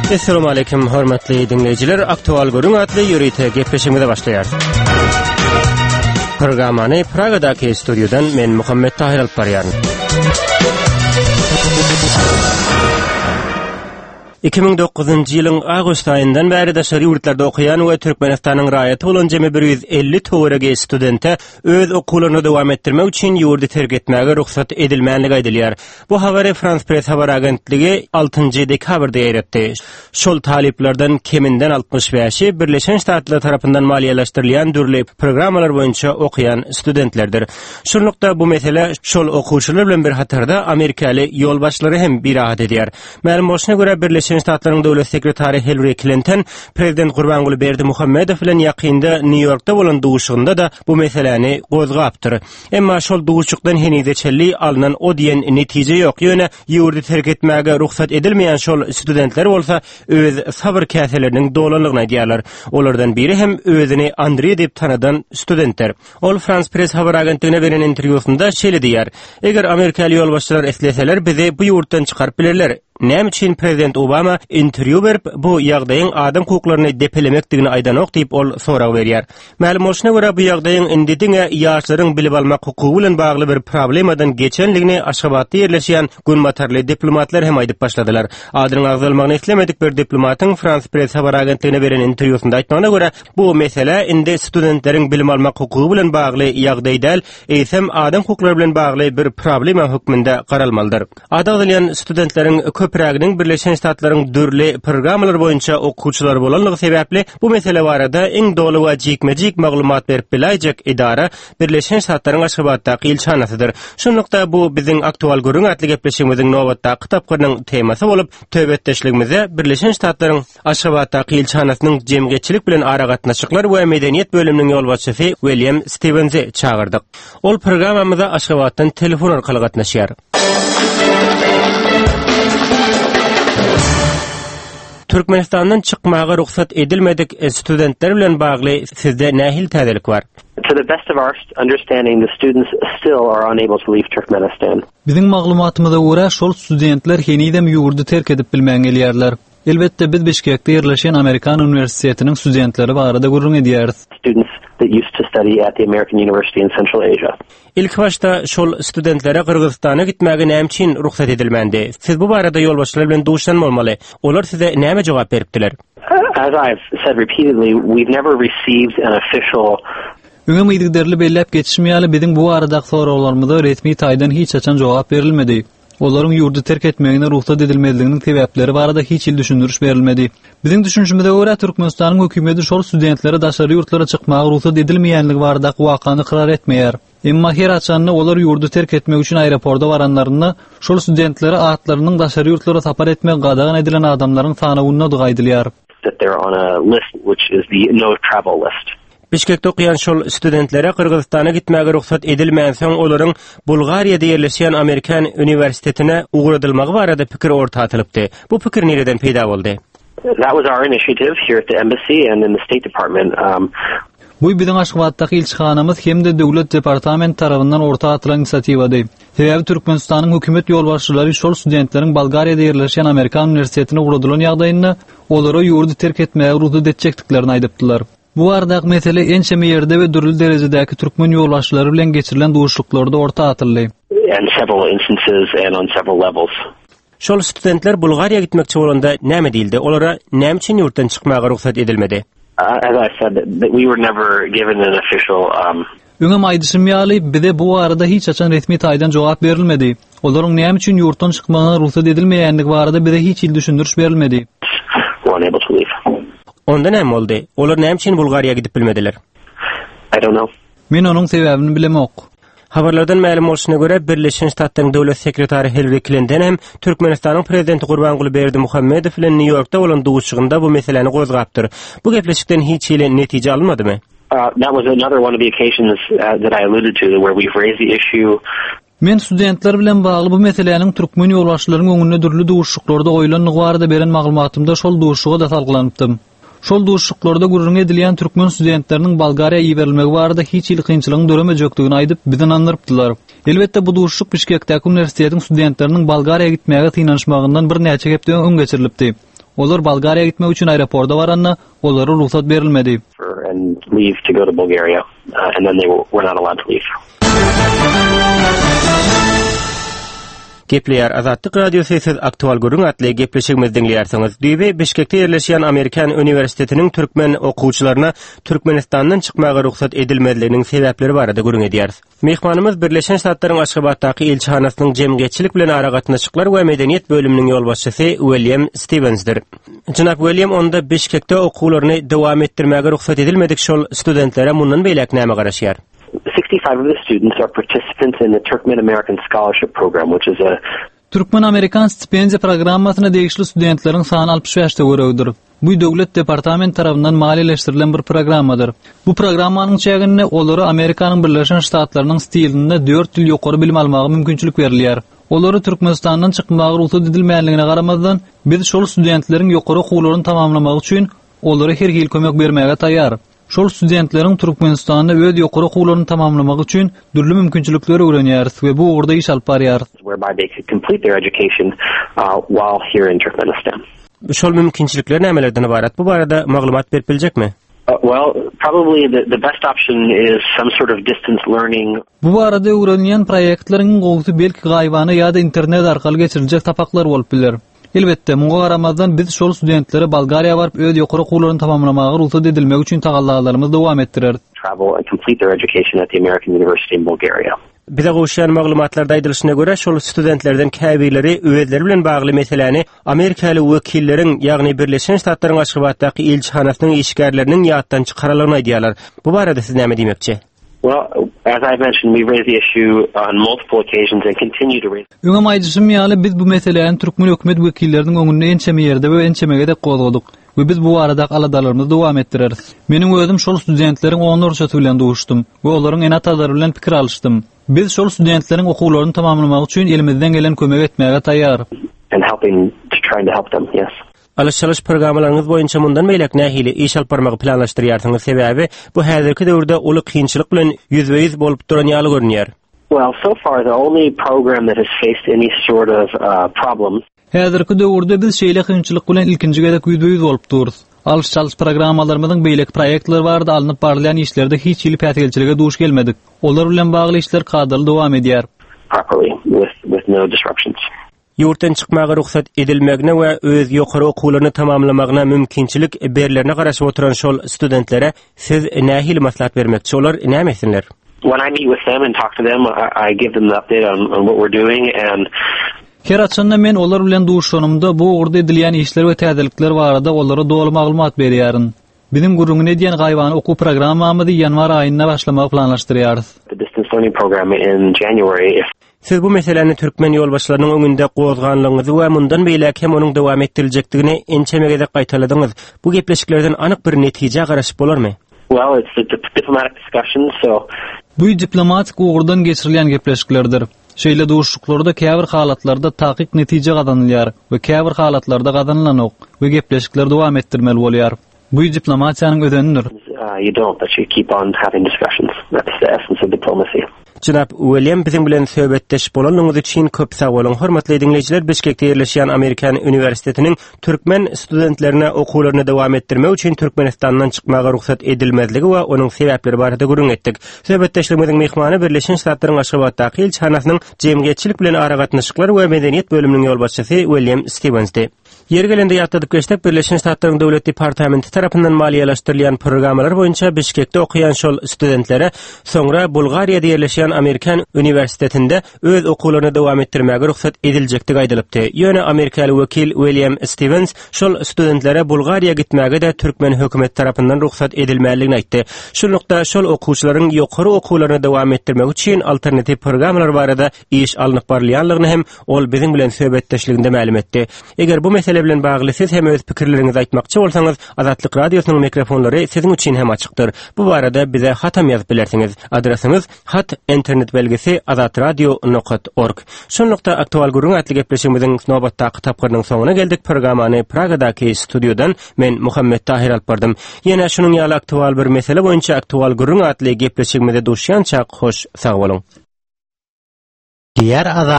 Essalamu aleýkum hormatly diňleýjiler. Aktual gürrüň atly ýörite gepleşigimize başlaýarys. Programmany Pragadaky studiýadan men Muhammet Tahir alyp barýaryn. 2009-njy ýylyň awgust aýyndan bäri daşary ýurtlarda okaýan we Türkmenistanyň raýaty bolan jemi 150 töweregi studente öz okuwlaryny dowam etdirmek üçin ýurdy terk etmäge rugsat edilmänligi aýdylýar. Bu habary Frans Press habar agentligi altynjy dekabrda ýaýratdy. Şol talyplardan keminden 65-i Birleşen Ştatlar tarapyndan maliýeleşdirilýän dürli programmalar boýunça okaýan studentlerdir. Şunlukda, bu mesele şol okuwçylar bilen bir hatarda amerikaly ýolbaşçylary hem birahat edýär. Mälim bolşuna görä, Birleşen Ştatlaryň döwlet sekretary Hillari Klinton prezident Gurbanguly Berdimuhamedow bilen ýakynda Nýu-Ýorkda bolan duşuşygynda-da bu meseläni gozgapdyr. Emma şol duşuşykdan henize çenli alnan o diýen netije ýok. Ýöne ýurdy terk etmäge rugsat edilmeýän şol studentler bolsa öz sabyr käseleriniň dolanlygyny aýdýarlar. Olardan biri hem özüni Andreý diýip tanadan studentdir. Ol Frans Press habar agentligine beren interwýusynda şeýle diýýär, Eger amerikaly ýolbaşçylar isleseler, bizi bu ýurtdan çykaryp bilerler. Näme üçin prezident Obama interwýu berip, bu ýagdaýyň adam hukuklaryny depelemekdigini aýdanok diýip, ol sorag berýär. Mälim bolşuna görä, bu ýagdaýyň indi diňe ýaşlaryň bilim almak hukugy bilen bagly bir problemadan geçenligini Aşgabatda ýerleşýän günbatarly diplomatlar hem aýdyp başladylar. Adynyň agzalmagyny islemedik bir diplomatyň Frans Press habar agentligine beren interwýusynda aýtmagyna görä, Bu mesele indi studentleriň bilim almak hukugy bilen bagly ýagdaý däl, eýsem adam hukuklary bilen bagly bir problema hökmünde garalmalydyr. Ady agzalýan studentleriň köpräginiň Birleşen Ştatlaryň dürli programmalary boýunça okuwçylary bolanlygy sebäpli bu mesele barada iň doly we jikme-jik maglumat berip biläýjek edara Birleşen Ştatlaryň Aşgabatdaky ilçihanasydyr. Şunlukda bu biziň Aktual gürrüň atly gepleşigimiziň nobatdaky tapgyrynyň temasy bolup, söhbetdeşligimize Birleşen Ştatlaryň Aşgabatdaky ilçihanasynyň jemgyýetçilik bilen aragatnaşyklar we medeniýet bölüminiň ýolbaşçysy Wilýam Stiwensi çagyrdyk. Ol programmamyza Aşgabatdan telefon arkaly gatnaşýar. Türkmenistandan çykmaga rugsat edilmedik studentler bilen bagly sizde nähili täzelik bar? To the best of our understanding, the students still are unable to leave Turkmenistan. Biziň maglumatymyza görä, şol studentler henizem ýurdy terk edip bilmän gelýärler. Elbetde, biz Bişkekde ýerleşýän Amerikan uniwersitetiniň studentleri barada gürrüň edýäris. Students that used to study at the American University in Central Asia. Ilkibaşda şol studentlere Gyrgyzystana gitmäge näme üçin rugsat edilmändi? Siz bu barada ýolbaşçylar bilen duşan bolmaly. Olar size näme jogap beripdiler? As I've said repeatedly, we've never received an official Öňem yzygiderli belläp geçişim ýaly, biziň bu baradaky soraglarymyza resmi taýdan hiç haçan jogap berilmedi. Olaryň ýurdy terk etmegine rugsat edilmezliginiň sebäpleri barada hiç hili düşündiriş berilmedi. Biziň düşünişimize görä, Türkmenistanyň hökümeti şol studentlere daşary ýurtlara çykmaga rugsat edilmeýänligi baradaky wakany ykrar etmeýär. Emma her haçanda olar ýurdy terk etmek üçin aeroporta baranlarynda, şol studentlere atlarynyň daşary ýurtlara sapar etmegi gadagan edilen adamlaryň sanawyndadygy aýdylýar. that they're on a list which is the no travel list. Bişkekde okaýan şol studentlere Gyrgyzystana gitmäge rugsat edilmänsoň, olaryň Bulgariýada ýerleşýän Amerikan uniwersitetine ugradylmagy barada pikir orta atylypdy. Bu pikir nireden peýda boldy? That was our initiative here at the embassy and in the State Department. Bu biziň Aşgabatdaky ilçihanamyz hem-de Döwlet departamenti tarabyndan orta atylan inisiatiwady. Sebäbi Türkmenistanyň hökümet ýolbaşçylary şol studentleriň Bolgariýada ýerleşýän Amerikan uniwersitetine ugradylan ýagdaýynda, olara ýurdy terk etmäge rugsat etjekdiklerini aýdypdylar. Bu baradaky mesele ençeme ýerde we dürli derejedäki türkmen ýolbaşçylary bilen geçirilen duşuşyklarda orta atyldy. In several instances and on several levels. Şol studentler Bulgariýa gitmekçi bolanda näme diýildi? Olara näme üçin ýurtdan çykmaga rugsat edilmedi? As I said, we were never given an official Öňem aýdyşym ýaly, bize bu barada hiç haçan resmi taýdan jogap berilmedi. Olaryň näme üçin ýurtdan çykmagyna rugsat edilmeýändigi barada bize hiç hili düşündiriş berilmedi. Onda näme boldy? Olar näme üçin Bulgariýa gidip bilmediler? I don't know. Men onuň sebäbini bilemok. Habarlardan mälim bolşuna görä, Birleşen Ştatlaryň döwlet sekretary Hillari Klinton hem Türkmenistanyň prezidenti Gurbanguly Berdimuhamedow bilen Nýu-Ýorkda bolan duşuşygynda bu meseläni gozgapdyr. Bu gepleşikden hiç hili netije alynmadymy? That was another one of the occasions that I alluded to where we've raised the issue. Men studentler bilen bagly bu meseläniň türkmen ýolbaşçylaryň öňünde dürli duşuşyklarda goýlandygy barada beren maglumatymda şol duşuşyga-da salgylanypdym. Şol duşuşyklarda gürrüňi edilýän türkmen studentleriniň Bolgariýa iberilmegi barada hiç hili kynçylygyň döremejekdigini aýdyp, bizi ynandyrypdylar. Elbetde, bu duşuşyk Bişkekdäki uniwersitetiň studentleriniň Bolgariýa gitmäge synanyşmagyndan birnäçe hepde öň geçirilipdi. Olar Bolgariýa gitmek üçin aeroporta baranda, olara rugsat berilmedi. and leave to go to Bulgaria, uh, and then they were not allowed to leave. Gepleýär Azatlyk Radiosy siz Aktual gürrüň atly gepleşigimizi diňleýärsiňiz. Düýbi Bişkekde ýerleşýän Amerikan uniwersitetiniň türkmen okuwçylaryna Türkmenistandan çykmaga rugsat edilmezliginiň sebäpleri barada gürrüň edýäris. Myhmanymyz Birleşen Ştatlaryň Aşgabatdaky ilçihanasynyň jemgyýetçilik bilen aragatnaşyklar we medeniýet bölüminiň ýolbaşçysy Uilýam Stiwensdir. Jenap Uilýam onda Bişkekde okuwlaryny dowam etdirmäge rugsat edilmedik şol studentlere mundan beýläk näme garaşýar? 65 of the students are participants in the Turkmen American Scholarship Program, which is a Türkmen-amerikan stipendiýa programmasyna degişli studentleriň sany 65 töweregidir. Bu Döwlet departamenti tarapyndan maliýeleşdirilen bir programmadyr. Bu programmanyň çäginde olara Amerikanyň Birleşen Ştatlarynyň stilinde dört ýyl ýokary bilim almaga mümkinçilik berilýär. Olara Türkmenistandan çykmaga rugsat edilmänligine garamazdan, biz şol studentleriň ýokary okuwlaryny tamamlamagy üçin olara her hili kömek bermäge taýýar. Şol studentleriň Türkmenistanda öz ýokary okuwlaryny tamamlamagy üçin dürli mümkinçilikleri öwrenýäris we bu ugurda iş alyp barýarys. whereby they could complete their education uh, while here in Turkmenistan. Şol mümkinçilikler nämelerden ybarat? Bu barada maglumat berip biljekmi? Uh, well, probably the, the best option is some sort of distance learning. Bu barada öwrenilýän proýektleriň iň gowusy belki gaýybana ýa-da internet arkaly geçiriljek sapaklar bolup biler. Elbetde, muňa garamazdan biz şol studentlere Bolgariýa baryp öz ýokary okuwlaryny tamamlamaga rugsat edilmegi üçin tagallalarymyzy dowam etdireris. travel and complete their education at the American University in Bulgaria. Bize gowuşýan maglumatlarda aýdylyşyna görä, şol studentlerden käbirleri özleri bilen bagly meseläni amerikaly wekilleriň, ýagny Birleşen Ştatlaryň Aşgabatdaky ilçihanasynyň işgärleriniň ýatdan çykaranlygyny aýdýarlar. Bu barada siz näme diýmekçi? Well, as I mentioned, we raised the issue on multiple occasions and continue to raise. Öňem aýdyşym ýaly, biz bu meseläni türkmen hökümet wekilleriniň öňünde ençeme ýerde we ençeme gezek gozgadyk we biz bu baradaky aladalarymyzy dowam etdireris. Meniň özüm şol studentleriň onlarçasy bilen duşdum we olaryň ene-atalary bilen pikir alyşdym. Biz şol studentleriň okuwlaryny tamamlamagy üçin elimizden gelen kömegi etmäge taýýar. And helping to trying to help them, yes. Alyş-çalyş programmalaryňyz boýunça mundan beýläk nähili iş alyp barmagy planlaşdyrýarsyňyz, sebäbi bu häzirki döwürde uly kynçylyk bilen ýüzbe-ýüz bolup duran ýaly görünýär. Well, so far the only program that has faced any sort of uh, problem Häzirki döwürde biz şeýle kynçylyk bilen ilkinji gezek ýüzbe-ýüz bolup durus. Alyş-çalyş programmalarymyzyň beýleki proýektler barada alnyp barylýan işlerde hiç hili päsgelçilige duş gelmedik. Olar bilen bagly işler kadaly dowam edýär. properly with with no disruptions. Ýurtdan çykmaga rugsat edilmegine we öz ýokary okuwlaryny tamamlamagyna mümkinçilik berlerine garaşyp oturan şol studentlere siz nähili maslahat bermekçi, olar näme etsinler? When I meet with them and talk to them, I, I give them the update on, on what we're doing and Her haçanda men olar bilen duşanymda bu ugurda edilýän işler we täzelikler barada olara doly maglumat berýärin. Biziň gürrüňini edýän gaýybana okuw programmamyzy ýanwar aýynda başlamagy planlaşdyrýarys. The distance learning program in January if Siz bu meseläni türkmen ýolbaşçylarynyň öňünde gozganlygyňyzy we mundan beýläk hem onuň dowam etdiriljekdigini ençeme gezek gaýtaladyňyz. Bu gepleşiklerden anyk bir netijä garaşyp bolarmy? Well, it's a diplomatic discussion, so Bu diplomatik ugurdan geçirilýän gepleşiklerdir. Şeýle duşuşyklarda käbir halatlarda takyk netije gazanylýar we käbir halatlarda gazanylanok we gepleşikleri dowam etdirmeli bolýar. Bu diplomatiýanyň özenidir. You don't, but you keep on having discussions. That's the essence of diplomacy. Jenap Uilýam biziň bilen söhbetdeş bolanlygyňyz üçin köp sag boluň. Hormatly diňleýjiler, Bişkekde ýerleşýän Amerikan uniwersitetiniň türkmen studentlerine okuwlaryny dowam etdirmek üçin Türkmenistandan çykmaga rugsat edilmezligi we onuň sebäpleri barada gürrüň etdik. Söhbetdeşligimiziň myhmany Birleşen Ştatlaryň Aşgabatdaky ilçihanasynyň jemgyýetçilik bilen aragatnaşyklar we medeniýet bölüminiň ýolbaşçysy Uilýam Stiwensdi. Ýeri gelende ýatladyp geçsek, Birleşen Ştatlaryň Döwlet departamenti tarapyndan maliýeleşdirilýän programmalar boýunça Bişkekde okaýan şol studentlere soňra Bulgariýada ýerleşýän Amerikan uniwersitetinde öz okuwlaryny dowam etdirmäge rugsat ediljekdigi aýdylypdy. Ýöne amerikaly wekil Uilýam Stiwens şol studentlere Bulgariýa gitmäge-de türkmen hökümeti tarapyndan rugsat edilmänligini aýtdy. Şunlukda, şol okuwçylaryň ýokary okuwlaryny dowam etdirmegi üçin alternatiw programmalar barada iş alnyp barylýanlygyny hem ol biziň bilen söhbetdeşliginde mälim etdi. Eger bu mesele bilen bagly siz hem öz pikirleriňizi aýtmakçy bolsaňyz, Azatlyk Radiosynyň mikrofonlary siziň üçin hem açykdyr. Bu barada bize hatam ýazyp bilersiňiz. Adresimiz, hat, internet belgisi azatradio nokat org. Şunlukda Aktual gürrüň atly gepleşigimiziň nobatdaky tapgyrynyň soňuna geldik. Programmany Pragadaky studiýadan men Muhammet Tahyr alyp bardym. Ýene şunuň ýaly aktual bir mesele boýunça Aktual gürrüň atly gepleşigimizde duşýançak hoş sag boluň. Diýer Azat.